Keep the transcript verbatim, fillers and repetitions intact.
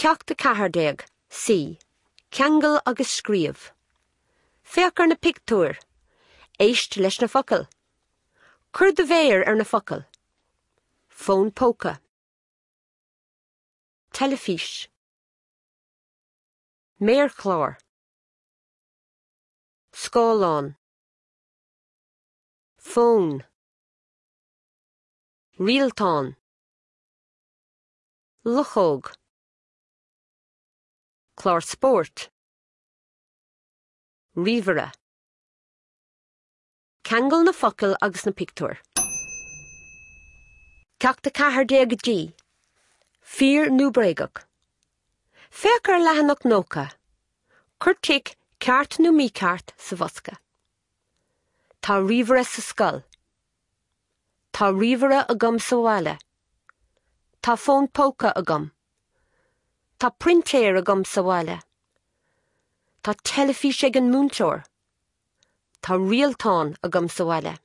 Ceacht a ceathair déag, C. Ceangail agus scríobh. Féach ar na pictiúir. Éist leis na focail. Cuir do mhéar ar na focail. Fón póca. Teilifís. Méarchlár. Scáileán. Fón. Rialtán. Luchóg. Clár spóirt. Ríomhaire. Ceangail na focail agus na pictiúir. Ceacht a ceathair déag D. Fíor nó bréagach. Féach ar leathanach nócha. Cuir tic ceart nó mícheart sa bhosca. Tá ríomhaire sa scoil. Tá ríomhaire agam sa bhaile. Tá fón póca agam. Tá printéir agam sa bhaile. Tá teilifís ag an múinteoir. Tá rialtán agam sa bhaile.